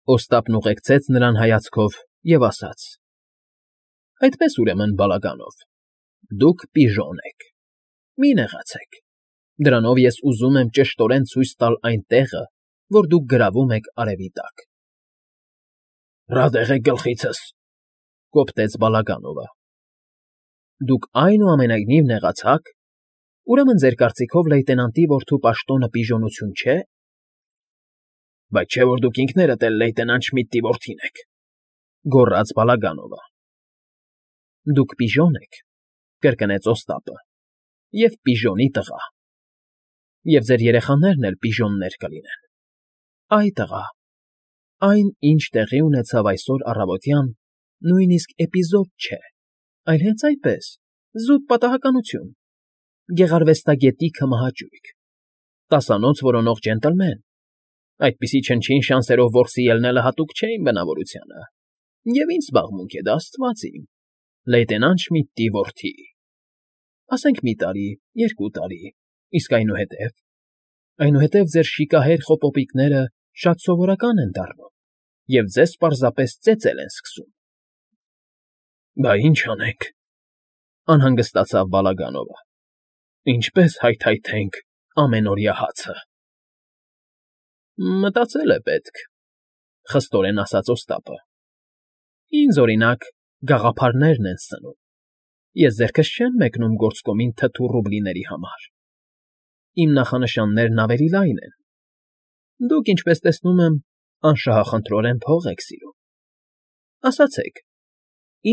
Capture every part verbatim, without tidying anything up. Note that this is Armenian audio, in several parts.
Օստապն ուղեկցեց նրան հայացքով և ասաց. ֊ Այդպես, ուրեմն, բալագանով, դուք պիժոն եք, մի նեղացեք, դրանով ես ուզում եմ ճշտորեն ցույց տալ այն տեղը, որ դուք գրավում եք արևի տակ։ ֊ Ռադ եղեք գլխիցս,֊ կոպտեց Բալագանովը։ ֊ Դուք այնուամենայնիվ նեղացա՞ք, ուրեմն ձեր կարծիքով լեյտենանտի որդու պաշտոնը պիժոնություն չէ։ ֊ Բայց չէ՞ որ դուք ինքներդ էլ լեյտենանտ Շմիդտի որդին եք,֊ գոռաց Բալագանովը։ ֊ Դուք պիժոն եք,֊ կրկնեց Օստապը,֊ և պիժոնի տղա, և ձեր երեխաներն էլ պիժոններ կլինեն։ Այ տղա, այն, ինչ տեղի ունեցավ այսօր առավոտյան, նույնիսկ էպիզոդ չէ, այլ հենց այնպես, զուտ պատահականություն, գեղարվեստագետի քմահաճույք, տասանոց որոնող ջենտլմեն, այդպիսի չնչին շանսերով որսի ելնելը հատուկ չէ իմ բնավորությանը, և ինչ զբաղմունք է դա, աստված իմ, լեյտենանտ Շմիդտի որդի… Ասենք մի տարի, երկու տարի, իսկ այնուհետև… Այնուհետև ձեր շիկահեր խոպոպիկները շատ սովորական են դառնում, և ձեզ պարզապես ծեծել են սկսում։ ֊ Բա ինչ անենք,֊ անհանգստացավ Բալագանովը,֊ ինչպե՞ս հայթայթենք ամենօրյա հացը։ ֊ Մտածել է պետք,֊ խստորեն ասաց Օստապը։ ֊ Ինձ, օրինակ, գաղափարներն են սնում, ես ձեռքս չեմ մեկնում գործկոմին թթու ռուբլիների համար, իմ նախանշաններն ավելի լայն են, դուք, ինչպես տեսնում եմ, անշահախնդրորեն փող եք սիրում, ասացեք,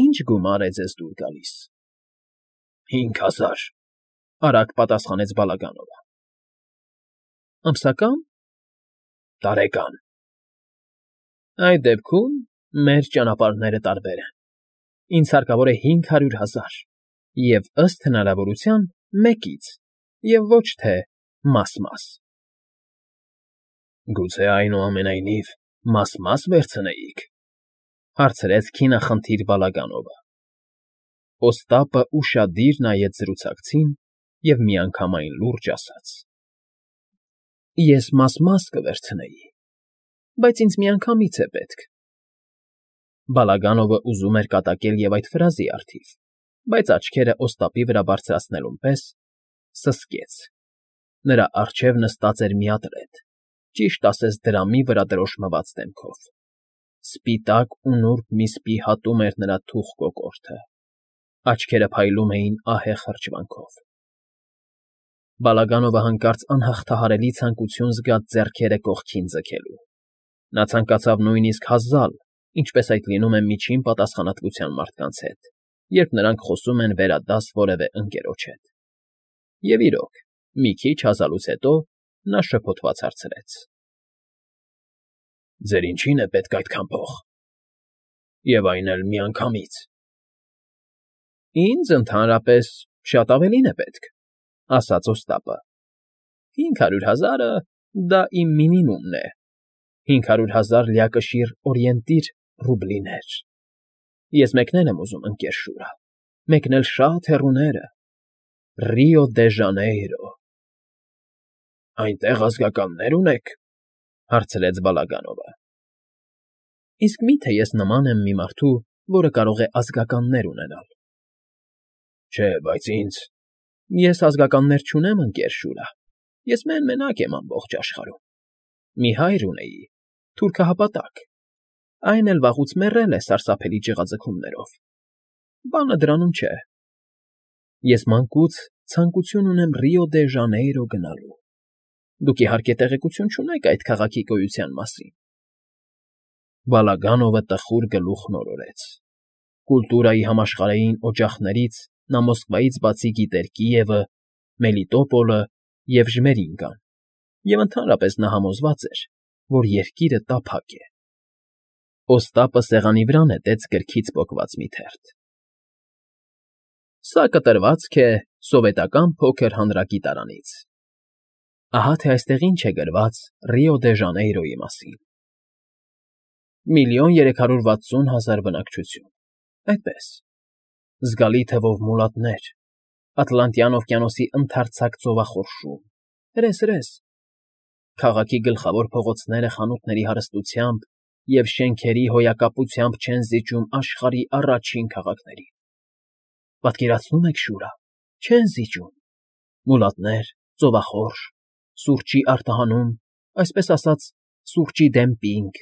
ի՞նչ գումար է ձեզ դուր գալիս։ ֊ Հինգ հազար,֊ արագ պատասխանեց Բալագանովը։ ֊ Ամսակա՞ն։ ֊ Տարեկան։ ֊ Այդ դեպքում մեր ճանապարհները տարբեր են, ինձ հարկավոր է հինգ հարյուր հազար և, ըստ հնարավորության, մեկից և ոչ թե մաս֊մաս։ ֊ Գուցե, այնուամենայնիվ, մաս֊մաս վերցնեիք,֊ հարցրեց քինախնդիր Բալագանովը։ Օստապը ուշադիր նայեց զրուցակցին և միանգամայն լուրջ ասաց. ֊ Ես մաս֊մաս կվերցնեի, բայց ինձ միանգամից է պետք… Բալագանովը ուզում էր կատակել և այդ ֆրազի առթիվ, բայց աչքերը Օստապի վրա բարձրացնելուն պես սսկեց. նրա առջև նստած էր մի ատռետ, ճիշտ ասես դրամի վրա դրոշմված դեմքով, սպիտակ ու նուրբ մի սպի հատում էր նրա թուխ կոկորդը, աչքերը փայլում էին ահեղ հրճվանքով։ Բալագանովը հանկարծ անհաղթահարելի ցանկություն զգաց ձեռքերը կողքին ձգելու, նա ցանկացավ նույնիսկ հազալ, ինչպես այդ լինում է միջին պատասխանատվության մարդկանց հետ, երբ նրանք խոսում են վերադաս որևէ ընկերոջ հետ։ Եվ, իրոք, մի քիչ հազալուց հետո նա շփոթված հարցրեց. ֊ Ձեր ինչի՞ն է պետք այդքան փող, և այն էլ միանգամից։ ֊ Ինձ, ընդհանրապես, շատ ավելին է պետք,֊ ասաց Օստապը։ ֊ Հինգ հարյուր հազարը դա իմ մինիմումն է, հինգ հարյուր հազար լիակշիռ օրիենտիր ռուբլիներ… Ես մեկնել եմ ուզում, ընկեր Շուրա, մեկնել շատ հեռուները, Ռիո դե Ժանեյրո։ ֊ Այնտեղ ազգականնե՞ր ունեք,֊ հարցրեց Բալագանովը։ ֊ Իսկ մի՞թե ես նման եմ մի մարդու, որը կարող է ազգականներ ունենալ։ ֊ Չէ, բայց ինձ… Ես ազգականներ չունեմ, ընկեր Շուրա, ես մեն֊մենակ եմ ամբողջ աշխարհում… Մի հայր ունեի, թուրքահպատակ, այն էլ վաղուց մեռել է սարսափելի ջղաձգումներով… Բանը դրանում չէ… Ես մանկուց ցանկություն ունեմ Ռիո դե Ժանեյրո գնալու… Դուք, իհարկե, տեղեկություն չունեք այդ քաղաքի գոյության մասին… Բալագանովը տխուր գլուխ նորորեց… Կուլտուրայի համաշխարհային օջախներից նա Մոսկվայից բացի գիտեր Կիևը, Մելիտոպոլը և Ժմերինկան, և ընդհանրապես նա համոզված էր, որ երկիրը տափակ է… Օստապը սեղանի վրա նետեց գրքից պոկված մի թերթ. Սա կտրվածք է սովետական փոքր հանրագիտարանից… Ահա թե այստեղ ինչ է գրված Ռիո դե Ժանեյրոյի մասին. Միլիոն երեք հարյուր վաթսուն հազար բնակչություն, այդպես, զգալի թվով մոլատներ, Ատլանտյան օվկիանոսի ընդարձակ ծովախորշում, հրես֊հրես… Քաղաքի գլխավոր փողոցները խանութների հարստությամբ և շենքերի հոյակապությամբ չեն զիջում աշխարհի առաջին քաղաքներին։ Պատկերացնո՞ւմ եք շուրա, չեն զիջում. մուլատներ, ծովախորշ, սուրճի արտահանում, այսպես ասած, սուրճի դեմ պինդ,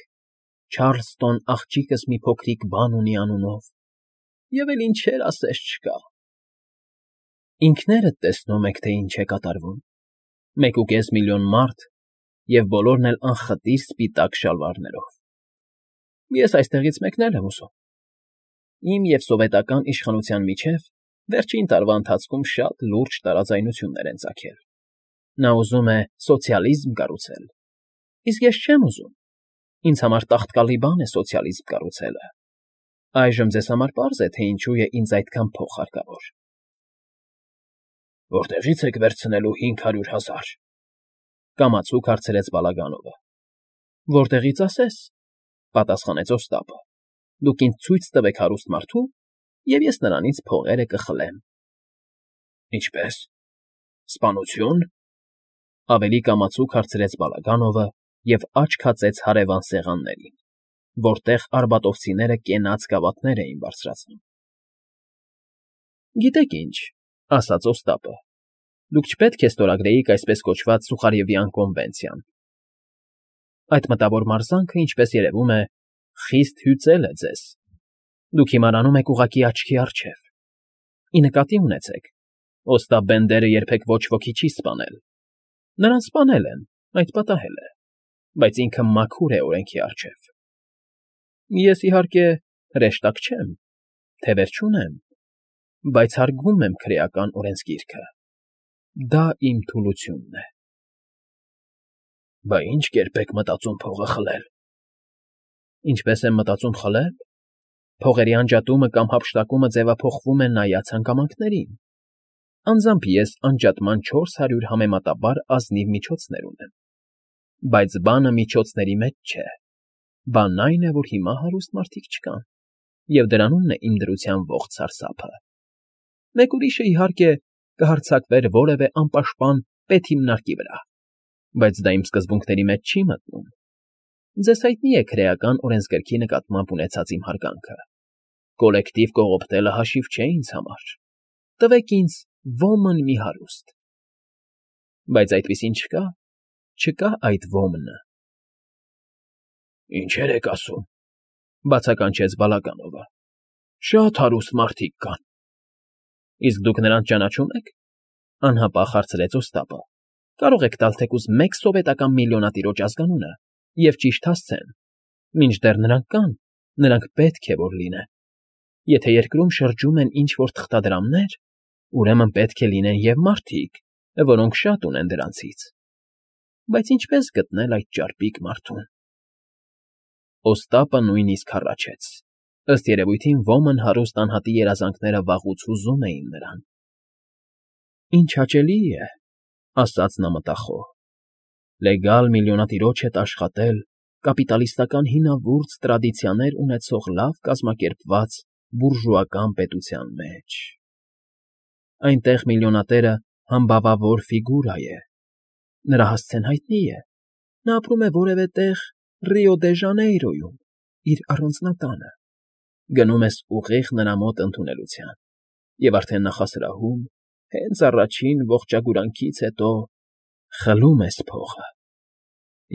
Չարլստոն աղջիկս մի փոքրիկ բան ունի անունով, և էլ ինչեր ասես չկա։ Ինքներդ տեսնում եք, թե ինչ է կատարվում. մեկուկես միլիոն մարդ և բոլորն էլ անխտիր սպիտակ շալվարներով։ Ես այստեղից մեկնել եմ ուզում։ Իմ և սովետական իշխանության միջև վերջին տարվա ընթացքում շատ լուրջ տարաձայնություններ են ծագել։ Նա ուզում է սոցիալիզմ կառուցել, իսկ ես չեմ ուզում։ Ինձ համար տաղտկալի բան է սոցիալիզմ կառուցելը։ Այժմ ձեզ համար պարզ է, թե ինչու է ինձ այդքան փող հարկավոր։ Որտեղի՞ց եք վերցնելու հինգ հարյուր հազար,֊ կամացուկ հարցրեց Բալագանովը։ Որտեղի՞ց ասես,֊ պատասխանեց Օստապը։ Դուք ինձ ցույց տվեք հարուստ մարդու, և ես նրանից փողերը կխլեմ։ Ինչպե՞ս, սպանությո՞ւն,֊ ավելի կամացուկ հարցրեց Բալագանովը և աչք հացեց հարևան սեղաններին, որտեղ արբատովցիները կենաց գավաթներ էին բարձրացնում։ Գիտեք ինչ,֊ ասաց Օստապը,֊ դուք չպետք է ստորագրեիք այսպես կոչված Սուխարևյան կոնվենցիան։ Այդ մտավոր մարզանքը, ինչպես երևում է, խիստ հյուծել է ձեզ։ Դուք հիմարանում եք ուղղակի աչքի առջև։ Ի նկատի ունեցեք, Օստապ Բենդերը երբեք ոչ ոքի չի սպանել։ Նրան սպանել են, այդ պատահել է, բայց ինքը մաքուր է օրենքի առջև։ Ես, իհարկե, հրեշտակ չեմ, թևեր չունեմ, բայց հարգում եմ քրեական օրենսգիրքը։ Դա իմ թուլությունն է։ Բա ի՞նչ կերպ եք մտածում փողը խլել։ Ինչպես եմ մտածում խլել։ Փողերի անջատումը կամ հափշտակումը ձևափոխվում է նայած հանգամանքներին։ Անձամբ ես անջատման չորս հարյուր համեմատաբար ազնիվ միջոցներ ունեմ։ Բայց բանը միջոցների մեջ չէ։ Բանն այն է, որ հիմա հարուստ մարդիկ չկան, և դրանումն է իմ դրության ողջ սարսափը։ Մեկ ուրիշը, իհարկե, կհարձակվեր որևէ անպաշտպան պետհիմնարկի վրա, բայց դա իմ սկզբունքների մեջ չի մտնում։ Ձեզ հայտնի է քրեական օրենսգրքի նկատմամբ ունեցած իմ հարգանքը։ Կոլեկտիվ կողոպտելը հաշիվ չէ ինձ համար։ Տվեք ինձ ոմն մի հարուստ։ Բայց այդպիսին չկա, չկա այդ ոմնը։ Ինչեր եք ասում,֊ բացականչեց Բալագանովը։ Շատ հարուստ մարդիկ կան։ Իսկ դուք նրանց ճանաչում եք,֊ անհապաղ հարցրեց Օստապը։ Կարող եք տալ թեկուզ մեկ սովետական միլիոնատիրոջ ազգանունը, և ճիշտ հասցեն։ Մինչդեռ նրանք կան, նրանք պետք է որ լինեն։ Եթե երկրում շրջում են ինչ֊որ թղթադրամներ, ուրեմն պետք է լինեն և մարդիկ, որոնք շատ ունեն դրանցից։ Բայց ինչպե՞ս գտնել այդ ճարպիկ մարդուն։ Օստապը նույնիսկ հառաչեց։ Ըստ երևույթին ոմն հարուստ անհատի երազանքները վաղուց հուզում էին նրան։ Ինչ հաճելի է,֊ ասաց նա մտախոհ,֊ լեգալ միլիոնատիրոջ հետ աշխատել կապիտալիստական հինավուրց տրադիցիաներ ունեցող լավ կազմակերպված բուրժուական պետության մեջ։ Այնտեղ միլիոնատերը համբավավոր ֆիգուրա է։ Նրա հասցեն հայտնի է։ Նա ապրում է որևէ տեղ Ռիո դե Ժանեյրոյում, իր առանձնատանը։ Գնում ես ուղիղ նրա մոտ ընդունելության, և արդեն նախասրահում, հենց առաջին ողջագուրանքից հետո խլում ես փողը։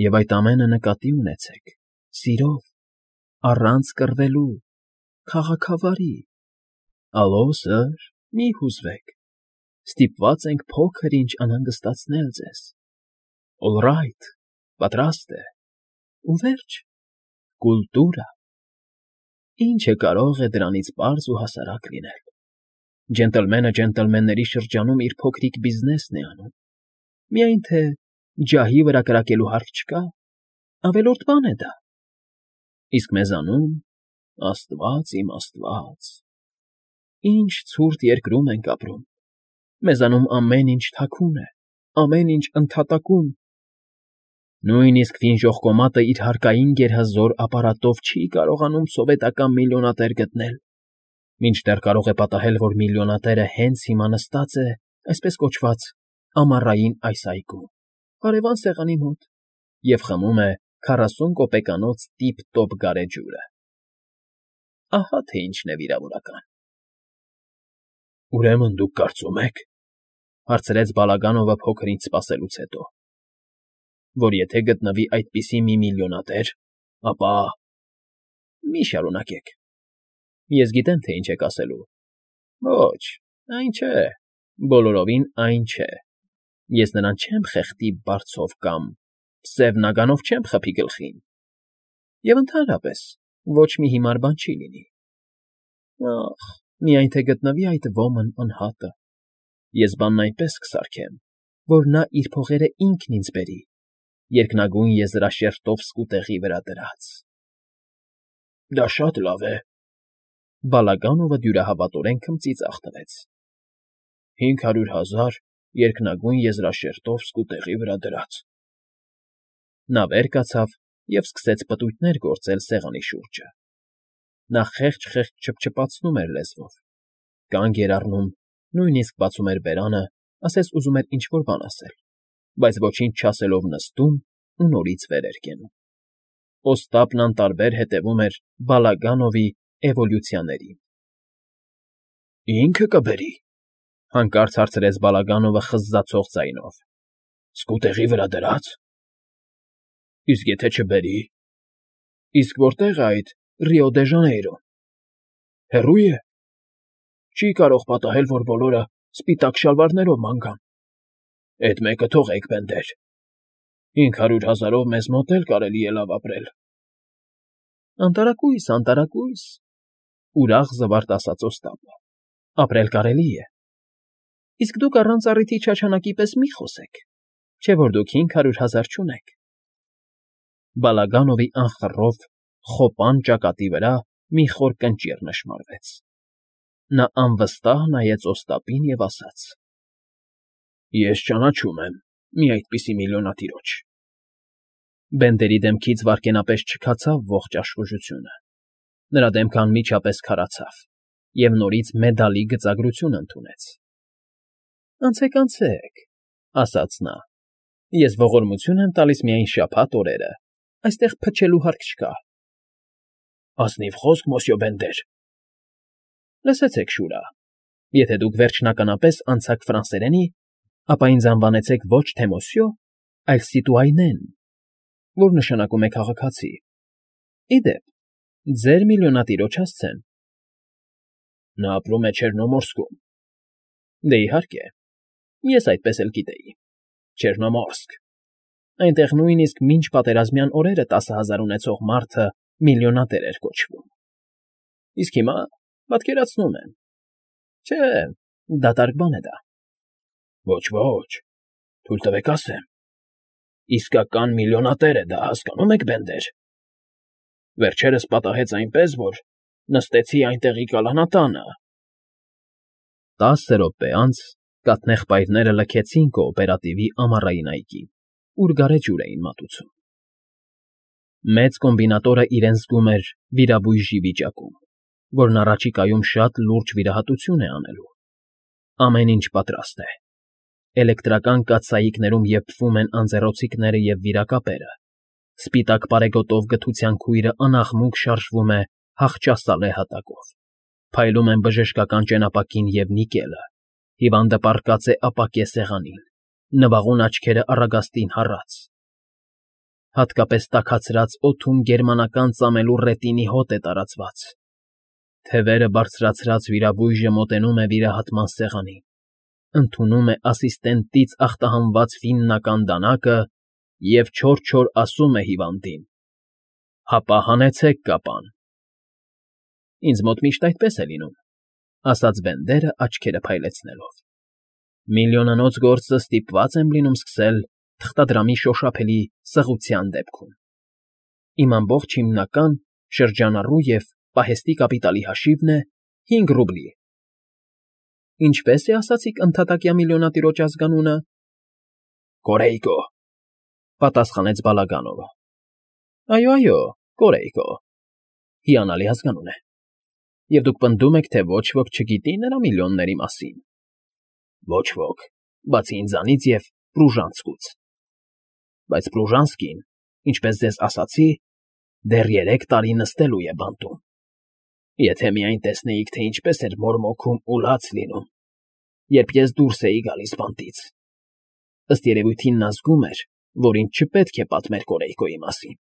Եվ այդ ամենը նկատի ունեցեք, սիրով, առանց կռվելու, քաղաքավարի։ Ալո, սըր, մի հուզվեք, ստիպված ենք փոքր֊ինչ անհանգստացնել ձեզ։ Օլռայթ, պատրաստ է։ Ու վերջ, կուլտուրա։ Ինչը կարող է դրանից պարզ ու հասարակ լինել։ Ջենտլմենը ջենտլմենների շրջանում իր փոքրիկ բիզնեսն է անում։ Միայն թե ջահի վրա կրակելու հարկ չկա, ավելորդ բան է դա։ Իսկ մեզանում, աստված իմ աստված, ինչ ցուրտ երկրում ենք ապրում։ Մեզանում ամեն ինչ թաքուն է, ամեն ինչ ընդհատակում։ Նույնիսկ Ֆինժոռկոմատը իր հարկային գերհզոր ապարատով չի կարողանում սովետական միլիոնատեր գտնել, մինչդեռ կարող է պատահել, որ միլիոնատերը հենց հիմա նստած է, այսպես կոչված, ամառային այս այգում, հարևան սեղանի մոտ, և խմում է քառասուն կոպեկանոց տիպ֊տոպ գարեջուրը։ Ահա թե ինչն է վիրավորական։ ֊ Ուրեմն դուք կարծում եք, ֊ հարցրեց Բալագանովը փոքր ինչ սպասելուց հետո, ֊ որ եթե գտնվի այդպիսի մի միլիոնատեր, ապա… Մի շարունակեք, ես գիտեմ, թե ինչ եք ասելու… Ոչ, այն չէ, բոլորովին այն չէ, ես նրան չեմ խեղդի բարձով կամ սև նագանով չեմ խփի գլխին… Եվ ընդհանրապես ոչ մի հիմար բան չի լինի… Ախ, միայն թե գտնվի այդ ոմն անհատը, ես բանն այնպես կսարքեմ, որ նա իր փողերը ինքն ինձ բերի, երկնագույն եզրաշերտով սկուտեղի վրա դրած… ֊ Դա շատ լավ է… Բալագանովը դյուրահավատորեն քմծիծաղ տվեց։ ֊ Հինգ հարյուր հազար երկնագույն եզրաշերտով սկուտեղի վրա դրած… Նա վեր կացավ և սկսեց պտույտներ գործել սեղանի շուրջը. նա խեղճ֊խեղճ չփչփացնում էր լեզվով, կանգ էր առնում, նույնիսկ բացում էր բերանը, ասես ուզում էր ինչ֊որ բան ասել, բայց ոչինչ չասելով նստում ու նորից վեր էր կենում… Օստապն անտարբեր հետևում էր Բալագանովի էվոլյուցիաներին։ ֊ Ինքը կբերի,֊ հանկարծ հարցրեց Բալագանովը խզզացող ձայնով։֊ Սկուտեղի վրա դրա՞ծ… Իսկ եթե չբերի… Իսկ որտե՞ղ է այդ Ռիո դե Ժանեյրոն… Հեռո՞ւ է… Չի՞ կարող պատահել, որ բոլորը սպիտակ շալվարներով ման գան… Էդ մեկը թողեք, բենդեր… Հինգ հարյուր հազարով մեզ մոտ էլ կարելի է լավ ապրել… ֊ Անտարակույս, անտարակույս,֊ ուրախ զվարթ ասաց Օստապը,֊ ապրել կարելի է… Իսկ դուք առանց առիթի չաչանակի պես մի՛ խոսեք, չէ որ դուք հինգ հարյուր հազար չունեք… Բալագանովի անխռով, խոպան ճակատի վրա մի խոր կնճիռ նշմարվեց… Նա անվստահ նայեց Օստապին և ասաց. ֊ Ես ճանաչում եմ մի այդպիսի միլիոնատիրոջ… Բենդերի դեմքից վայրկենապես չքացավ ողջ աշխուժությունը, նրա դեմքը անմիջապես քարացավ և նորից մեդալի գծագրություն ընդունեց։ ֊ Անցեք, անցեք,֊ ասաց նա,֊ ես ողորմություն եմ տալիս միայն շաբաթ օրերը, այստեղ փչելու հարկ չկա… ֊ Ազնիվ խոսք, մոսյո Բենդեր… ֊ Լսեցեք, Շուրա, եթե դուք վերջնականապես անցաք ֆրանսերենի, ապա ինձ անվանեցեք ոչ թե մոսյո, այլ սիտուայնեն, որ նշանակում է քաղաքացի… Ի դեպ, ձեր միլիոնատիրոջ հասցեն… ֊ Նա ապրում է Չեռնոմորսկում… ֊ Դե, իհարկե, ես այդպես էլ գիտեի… Չեռնոմորսկ… Այնտեղ նույնիսկ մինչպատերազմյան օրերը տասը հազար ունեցող մարդը միլիոնատեր էր կոչվում… Իսկ հիմա, պատկերացնում եմ… Չէ, դատարկ բան է դա… ֊ Ոչ, թույլ տվեք ասեմ… Իսկական միլիոնատեր է դա, հասկանո՞ւմ եք, Բենդեր… Վերջերս պատահեց այնպես, որ նստեցի այնտեղի կալանատանը… Տասը րոպե անց կաթնեղբայրները լքեցին կոոպերատիվի ամառային այգին, ուր գարեջուր էին մատուցում… Մեծ կոմբինատորը իրեն զգում էր վիրաբույժի վիճակում, որն առաջիկայում շատ լուրջ վիրահատություն է անելու… Ամեն ինչ պատրաստ է… Էլեկտրական կաթսայիկներում եփվում են անձեռոցիկները և վիրակապերը, սպիտակ պարեգոտով գթության քույրը անաղմուկ շարժվում է հախճասալե հատակով, փայլում են բժշկական ճենապակին և նիկելը, հիվանդը պառկած է ապակե սեղանին, նվաղուն աչքերը առագաստին հառած… Հատկապես տաքացրած օդում գերմանական ծամելու ռետինի հոտ է տարածված… Թևերը բարձրացրած վիրաբույժը մոտենում է վիրահատման սեղանին, ընդունում է ասիստենտից ախտահանված ֆիննական դանակը և չոր֊չոր ասում է հիվանդին. «Հապա հանեցեք կապան»։ ֊ Ինձ մոտ միշտ այդպես է լինում,֊ ասաց Բենդերը աչքերը փայլեցնելով,֊ միլիոնանոց գործը ստիպված եմ լինում սկսել թղթադրամի շոշափելի սղության դեպքում… Իմ ամբողջ հիմնական, շրջանառու և պահեստի կապիտալի հաշիվն է հինգ ռուբլի… ֊ Ինչպե՞ս է, ասացիք, ընդհատակյա միլիոնատիրոջ ազգանունը… ֊ Կորեյկո,֊ պատասխանեց Բալագանովը։ ֊ Այո, այո, Կորեյկո… Հիանալի ազգանուն է… Եվ դուք պնդում եք, թե ոչ ոք չգիտի նրա միլիոնների մասին… ֊ Ոչ ոք, բացի ինձանից և Պրուժանսկուց… Բայց Պրուժանսկին ինչպես ձեզ ասացի, դեռ երեք տարի նստելու է բանտում։ Եթե միայն տեսնեիք, թե ինչպես էր մորմոքում ու լաց լինում, երբ ես դուրս էի գալիս բանտից… Ըստ երևույթին նա զգում էր, որ ինձ չպետք է պատմեր Կորեյկոյի մասին։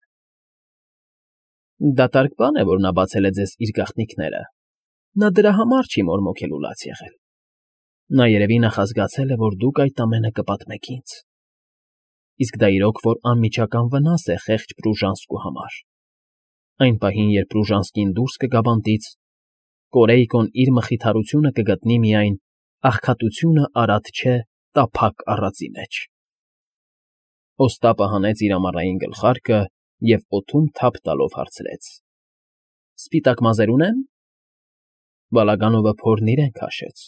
Դատարկ բան է, որ նա բացել է ձեզ իր գաղտնիքները, նա դրա համար չի մորմոքել ու լաց եղել… Նա երևի նախազգացել է, որ դուք այդ ամենը կպատմեք ինձ… Իսկ դա իրոք որ անմիջական վնաս է խեղճ Պրուժանսկու համար… Այն պահին, երբ Պրուժանսկին դուրս կգա բանտից, Կորեյկոն իր մխիթարությունը կգտնի միայն «աղքատությունը արատ չէ տափակ առածի մեջ»։ Օստապը հանեց իր ամառային գլխարկը և օդում թափ տալով հարցրեց. ֊ Սպիտակ մազեր ունե՞ն։ Բալագանովը փորն իրեն քաշեց,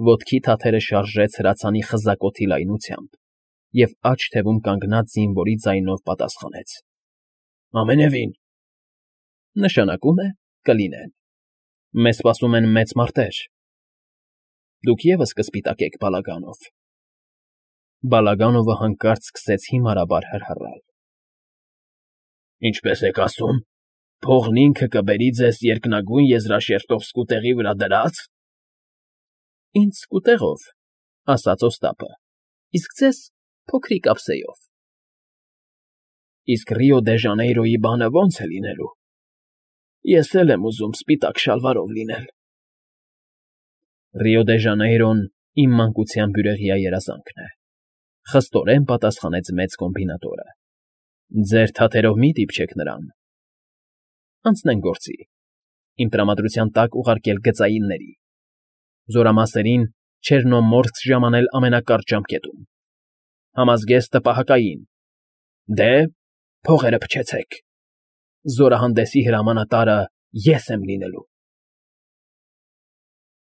ոտքի թաթերը շարժեց հրացանի խզակոթի լայնությամբ և աջ թևում կանգնած զինվորի ձայնով պատասխանեց. ֊ Ամենևին… Նշանակում է կլինեն… Մեզ սպասում են մեծ մարտեր… Դուք ևս կսպիտակեք, Բալագանով… Բալագանովը հանկարծ սկսեց հիմարաբար հռհռալ։ ֊ Ինչպե՞ս եք ասում, փողն ինքը կբերի ձեզ երկնագույն եզրաշերտով սկուտեղի վրա դրա՞ց։ ֊ Ինձ սկուտեղով, ֊ ասաց Օստապը, ֊ իսկ ձեզ փոքրիկ ափսեով։ ֊ Իսկ Ռիո դե Ժանեյրոյի բանը ո՞նց է լինելու։ Ես էլ եմ ուզում սպիտակ շալվարով լինել… Ռիո դե Ժանեյրոն իմ մանկության բյուրեղյա երազանքն է, ֊ խստորեն պատասխանեց մեծ կոմբինատորը։ ֊ Ձեր թաթերով մի՛ դիպչեք նրան… Անցնենք գործի, իմ տրամադրության տակ ուղարկել գծայինների… Զորամասերին Չեռնոմորսկ ժամանել ամենակարճ ժամկետում… Համազգեստը պահակային… Դե, փողերը փչեցեք… Զորահանդեսի հրամանատարը ես եմ լինելու։